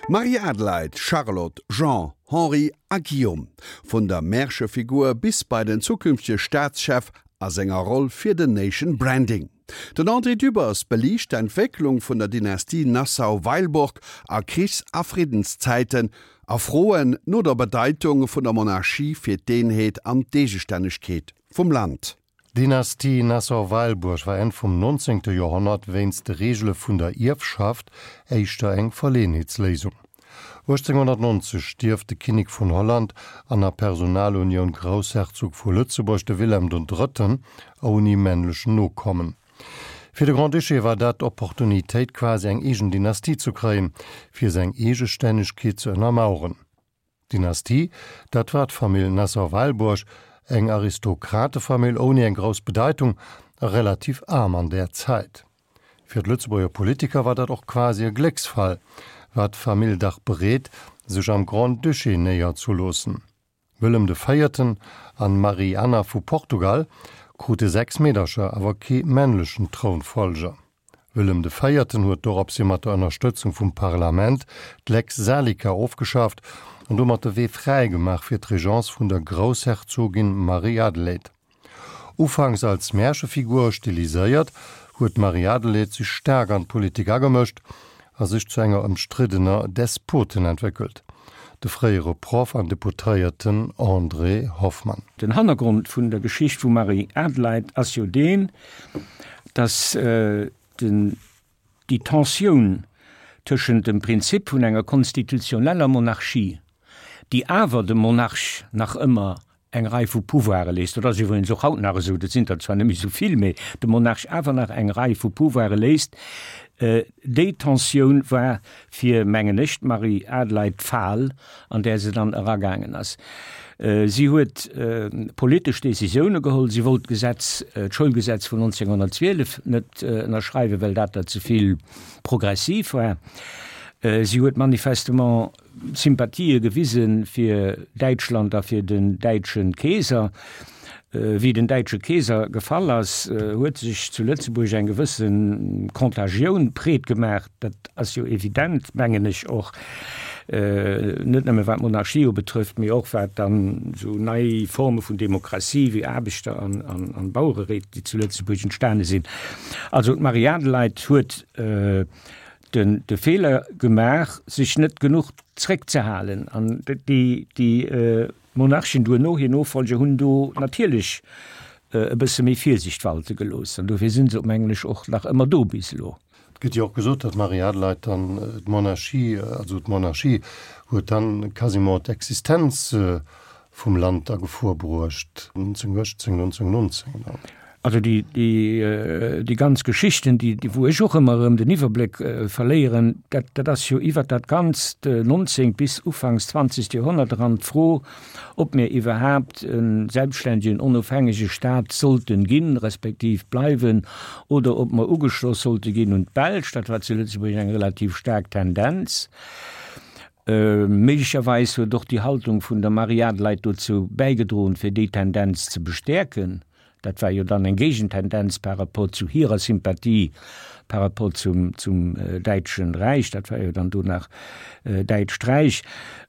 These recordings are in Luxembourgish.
Marie-Adelheid, Charlotte, Jean, Henri a Guillaume, vun der Märchefigur bis bei den zukünftege Staatschef a senger Roll fir den Nation Branding. Den André Dübbers beliicht d'Entwécklung vun der Dynastie Nassau-Weilburg a Krichs a Friddenszäiten a Froen no der Bedeitung vun der Monarchie fir d'Eenheet an d'Eegestännegkeet vum Land. D'Dynastie Nassau-Weilburg war Enn vum 19. Joerhonnert wéinst de Reegele vun der Ierfschaft éischter eng Verleeënheetsléisung. 1890 stierft de Kinnek vun Holland an a Personalunioun Groussherzog vu Lëtzebuerg, de Wilhelm den Drëtten, ouni männlechen Nokommen. Fir de Grand-Duché war dat d'Opportunitéit quasi eng eegen Dynastie zu kréien, fir seng Eegestännegkeet ze ënnermaueren. D'Dynastie, dat war d'Famill Nassau-Weilburg, eng Aristokratefamill ouni eng grouss Bedeitung a relativ aarm an där Zäit. Fir d'Lëtzebuerger Politiker war dat och quasi e Glécksfall, war d'Famill dach bereet, sech am Grand-Duché néierzeloossen. Wëllem de Véierten an Marie-Anna vu Portugal krute 6 Meedercher, awer kee männlechen Trounfollger. Wëllem de Véierten huet doropshi mat der Ënnerstëtzung vum Parlament d'Lex Salica ofgeschaaft an domat de Wee fräi gemaach fir d'Regence vun der Groussherzogin Marie-Adelheid. Ufanks als Märchefigur stiliséiert, huet d'Marie-Adelheid sech staark an d'Politik agemëscht a sech zu enger ëmstriddener Despotin entwéckelt. De fréiere Proff an Deputéierten André Hoffmann. Den Hannergrond vun der Geschicht vum Marie-Adelheid ass jo deen, dass den, déi Tensioun tëschent dem Prinzip vun enger konstitutioneller Monarchie, déi awer dem Monarch nach ëmmer eng Rei vu Pouvoire léisst, dat ass iwwregens och haut nach esou, dat sinn der zwar net méi esou vill, mä dem Monarch awer nach eng Rei vu Pouvoire léisst, déi Tensioun war fir, mengen ech, d'Marie-Adelheid d'Fal, an där se dann eragaangen ass. Si huet politesch Décisioune geholl. Si wollt d'Gesetz, d'Schoulgesetz vun 1912 net ënnerschreiwen, well dat der ze vill progressiv war. Si huet manifestement Sympathië gewise fir Däitschland a fir den däitsche Keeser. Wéi den däitsche Keeser gefall ass, huet sech zu Lëtzebuerg eng gewësse Contagioun breet gemaach. Dat ass jo evident, mengen ech och, net nëmme wat d'Monarchie ubetrëfft, mee och wat dann esou nei Forme vun Demokratie wéi Aarbechter an Bauereréit, déi zu Lëtzebuerg entstane sinn. Also d'Marie-Adelheid huet den de Feeler gemaach, sech net genuch zréckzehalen an déi déi Monarchen duerno, hir Nofolger, hunn do natierlech e bësse méi Virsicht walte gelooss an dofir sinn se, mengen ech, och nach ëmmer do bis elo. Et gëtt jo och gesot, datt d'Marie-Adelheid dann d'Monarchie, also d'Monarchie huet dann quasiment d'Existenz vum Land a Gefor bruecht, 1918, 1919 dann. Also déi, déi, déi ganz Geschichten, déi, déi, wou ech och ëmmer erëm den Iwwerbléck verléieren, dat, dat ass jo iwwert dat ganzt nonzéngt bis ufanks zwanzegt Joerhonnert eran d'Fro, ob mir iwwerhaapt e selbstständegen, onofhängege Stat sollten ginn, respektiv bleiwen, oder ob mer ugeschloss sollte ginn un d'Belsch. Dat war zu Lëtzebuerg eng relativ staark Tendenz. Méiglecherweis huet och déi Haltung vun der Marie-Adelheid dozou bäigedroen, fir déi Tendenz ze bestäerken. Dat war jo dann eng Géigentendenz par rapport zu hirer Sympathie par rapport zum, zum Däitschen Räich. Dat war jo dann do nach Däitscht Räich.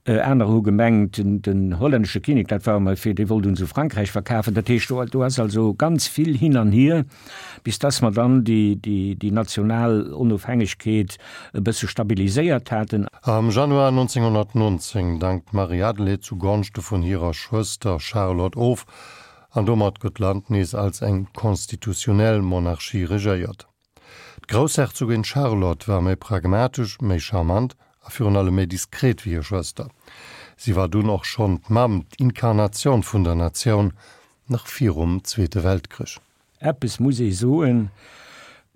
Aner hu gemengt, den, den hollännesche Kinnek, dat war ëmmer fir, dee wollt uns u Frankräich verkafen. Dat heescht, do, do ass also ganz vill hin an hier, bis dass mer dann déi, déi, déi national Onofhängegkeet e bësse stabiliséiert haten. Am Januar 1919 dankt d'Marie-Adelheid zu Gonschte vun hirer Schwëster Charlotte of, An domat gëtt d'Land nees als eng konstitutionell Monarchie regéiert. D'Groussherzogin Charlotte war méi pragmatesch, méi charmant a virun allem méi diskret wéi hir Schwëster. Si war dunn och schonn d'Mamm, d'Inkarnatioun vun der Natioun, nach virum Zweete Weltkrich. Eppes muss ee soen,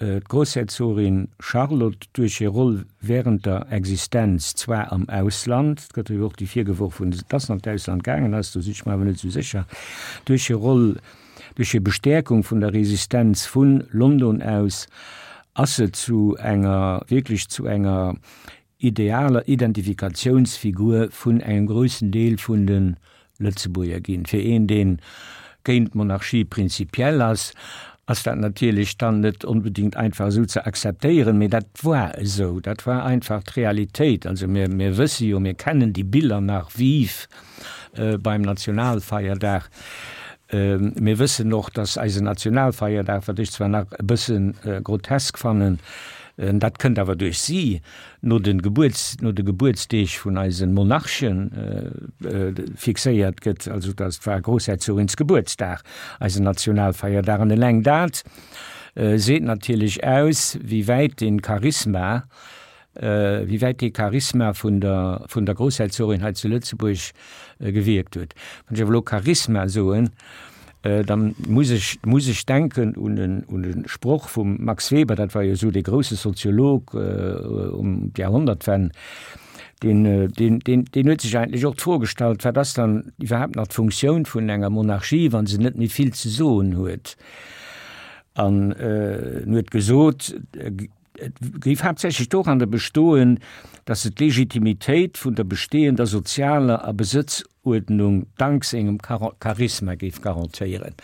D'Groussherzogin Charlotte, duerch hir Roll während der Existenz zwar am Ausland, et gëtt jo och déi virgeworf hunn, dass se an d'Ausland gaangen ass, do sinn ech mer awer net esou sécher, duerch hir Roll, duerch hir Bestäerkung vun der Resistenz vu London aus, ass se zu enger, wierklech zu enger idealer Identifikatiounsfigur vun engem groussen Deel vun de Lëtzebuerger ginn. Fir een, dee géint d'Monarchie prinzipiell ass. ass dat natierlech dann net onbedingt einfach esou ze akzeptéieren, mee dat war esou, dat war einfach d'Realitéit. Also mir, mir wësse jo, mir kennen déi Biller nach vive beim Nationalfeierdag. Mir wëssen och, dass eisen Nationalfeierdag, wat ech zwar nach e bësse grotesk fannen, dat kënnt awer duerch si, no de Gebuerts, no de Gebuertsdeeg vun eise Monarchen fixéiert gëtt, also dass war Groussherzogins Gebuertsdag eisen Nationalfeierdag. An eleng dat seet natierlech aus, wéi wäit dee Charisma, wéi wäit dee Charisma vun der, vun der Groussherzogin hei zu Lëtzebuerg gewierkt huet. Wann ech awer elo Charisma soen, Dann muss ech, muss ech denken un en, un e Sproch vum Max Weber, dat war jo esou dee grousse Soziolog um d'Jahrhundertwenn, deen, deen, deen, deen huet sech eigentlech och d'Fro gestallt, wat ass dann iwwerhaapt nach d'Funktioun vun enger Monarchie, wa se net méi vill ze soen huet? An en huet gesot, Et géif haaptsächlech doranner bestoen, datt se d'Legitimitéit vun der bestehender sozialer a Besëtzuerdnung dank sengem Charisma géif garantéieren.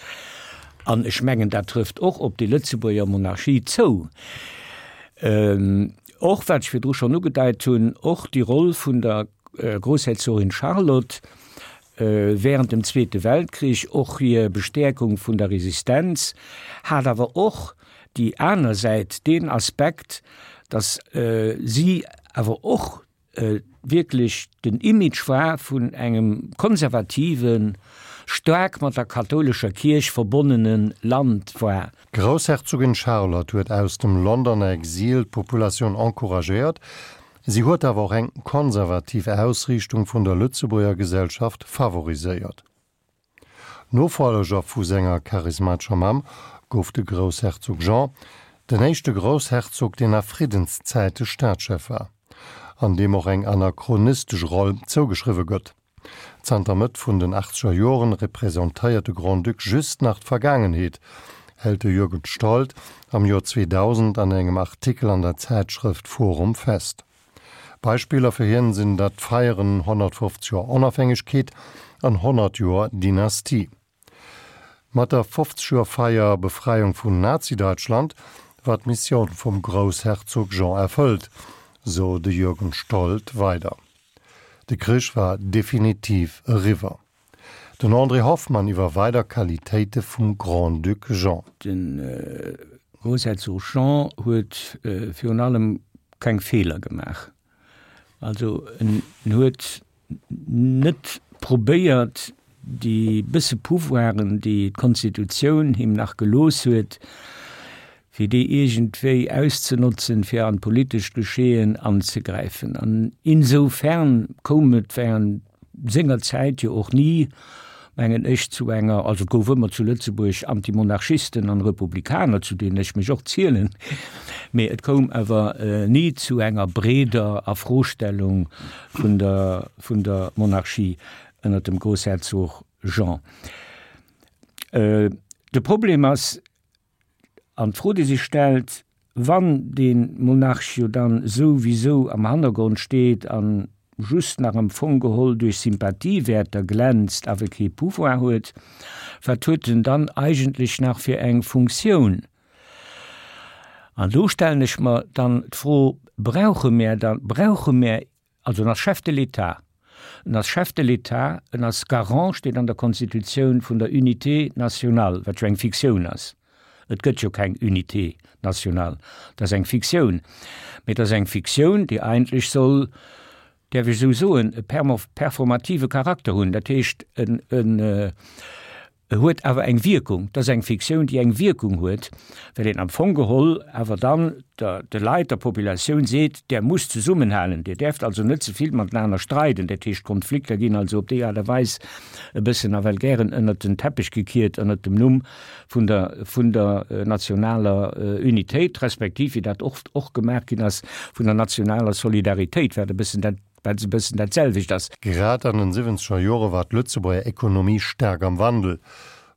An ech mengen, dat trëfft och op déi Lëtzebuerger Monarchie zou. Och, wat ech virdru schonn ugedeit hunn, och déi Roll vun der Groussherzogin Charlotte während dem Zweete Weltkrich, och hir Bestäerkung vun der Resistenz, hat awer och déi aner Säit, deen Aspekt, datt si awer och wierklech den Image war vun engem konservativen, staark mat der kathoulescher Kierch verbonnene Land war. D'Groussherzogin Charlotte huet aus dem Londoner Exil d'Populatioun encouragéiert. Si huet awer och eng konservativ Ausriichtung vun der Lëtzebuerger Gesellschaft favoriséiert. Nofolleger vu senger charismatescher Mamm gouf de Groussherzog Jean, den éischte Groussherzog, deen a Friddenszäite Staatschef war, an deem och eng anachronistesch Roll zougeschriwwe gëtt. Zanter Mëtt vun den achtzeger Joren representéiert de Grand-Duc just nach d'Vergaangenheet, hält de Jürgen Stold am Joer 2000 an engem Artikel an der Zäitschrëft Forum fest. Beispiller fir hien sinn dat d'Feieren 150 Joer Onofhängegkeet an 100 Joer Dynastie. Mat der 50 Joer Feier Befreiung vun Nazi-Deutschland war d'Missioun vum Groussherzog Jean erfëllt, sou de Jürgen Stold weider. De Krich war definitiv eriwwer. Den André Hoffmann iwwer weider Qualitéite vum Grand-Duc Jean. De Groussherzog Jean huet virun allem keng Feeler gemaach. Also en huet net probéiert, déi bësse Pouvoiren, déi d'Konstitutioun him nach gelooss huet, fir déi iergendwéi auszenotzen, fir an d'politescht Geschehen anzegräifen. An insoufern koum et während senger Zäit jo och ni, mengen ech, zu enger, also et gouf ëmmer zu Lëtzebuerg Antimonarchisten an Republikaner, zu deenen ech mech och zielen, mee et koum awer ni zu enger breeder Afrostellung vun der, vun der Monarchie ënner dem Groussherzog Jean. De Problem ass, An d'Fro, déi sech stellt, Wann dee Monarch jo dann souwisou am Hannergrond steet an just nach am Fong geholl duerch Sympathiewäerter glänzt, awer kee Pouvoir huet, wat huet en dann eigentlech nach fir eng Funktioun? An do stellen ech mer dann d'Fro, Brauche mär dann, brauche mär Also en ass Chef de l'État. En ass Chef de l'État, en ass Garant, steet an der Konstitutioun, vun der Unité nationale, wat jo eng Fiktioun ass. Et gëtt jo keng Unité nationale, dat ass eng Fiktioun. Mee et ass eng Fiktioun, déi eigentlech soll, däerf ech esou soen, e performative Charakter hunn. Dat heescht, en, en, E huet awer eng Wierkung. Et ass eng Fiktioun, déi eng Wierkung huet, well een am Fong geholl awer dann der, de Leit, der Populatioun seet, Der musst zesummenhalen, Dir däerft also net ze vill matenaner streiden. Dat heescht, d'Konflikter ginn also op déi Aart a Weis e bëssen nawell gären ënnert den Teppech gekiert ënnert dem Numm vun der, vun der nationaler Unitéit, respektiv, wéi dat oft och gemaach ginn ass, vun der nationaler Solidaritéit, wat e bëssen dat, wat e bëssen dat selwecht ass. Grad an den siwwenzeger Jore war d'Lëtzebuerger Ekonomie staark am Wandel.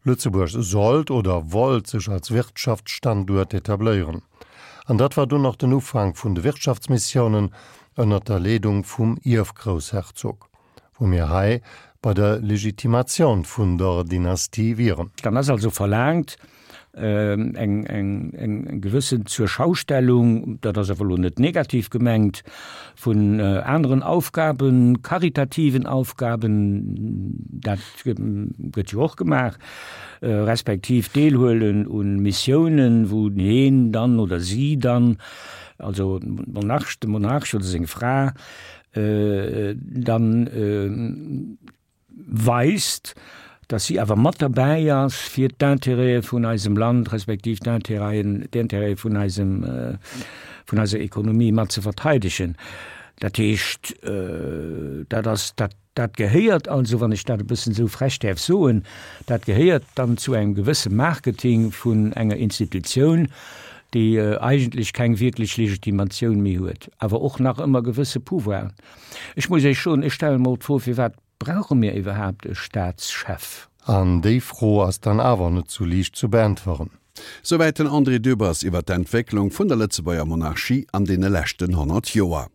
Lëtzebuerg sollt oder wollt sech als Wirtschaftsstanduert etabléieren. An dat war dunn och den Ufank vun de Wirtschaftsmissiounen ënnert der Leedung vum Ierfgroussherzog, wou mir hei bei der Legitimatioun vun der Dynastie wieren. Dann ass also verlaangt. Eng, eng, eng gewëssen Zurschaustellung, dat ass awer elo net negativ gemengt, vun aneren Aufgaben, karitativen Aufgaben, dat gëtt jo och gemaach, respektiv deelhuelen u Missiounen, wou heen dann oder si dann, also Monarch, de Monarch oder seng Fra, dann weist, dass si awer mat derbäi ass, fir d'Intérêtë vun eisem Land respektiv d'Intérêten, d'Intérêtë vun eisem, vun eiser Ekonomie mat ze verteidegen. Dat heescht, dat ass, dat, dat gehéiert also, wann ech dat e bëssen esou frech däerf soen, dat gehéiert dann zu engem gewësse Marketing vun enger Institutioun, déi eigentlech keng wierklech Legitimatioun méi huet, awer och nach ëmmer gewësse Pouvoiren. Ech muss Iech soen, ech stelle mer d'Fro, Firwat brauche mir iwwerhaapt e Staatschef? An déi Fro ass dann awer net sou liicht zu beäntweren. Souwäit den André Dübbers iwwer d'Entwécklung vun der Lëtzebuerger Monarchie an deene leschten 100 Joer.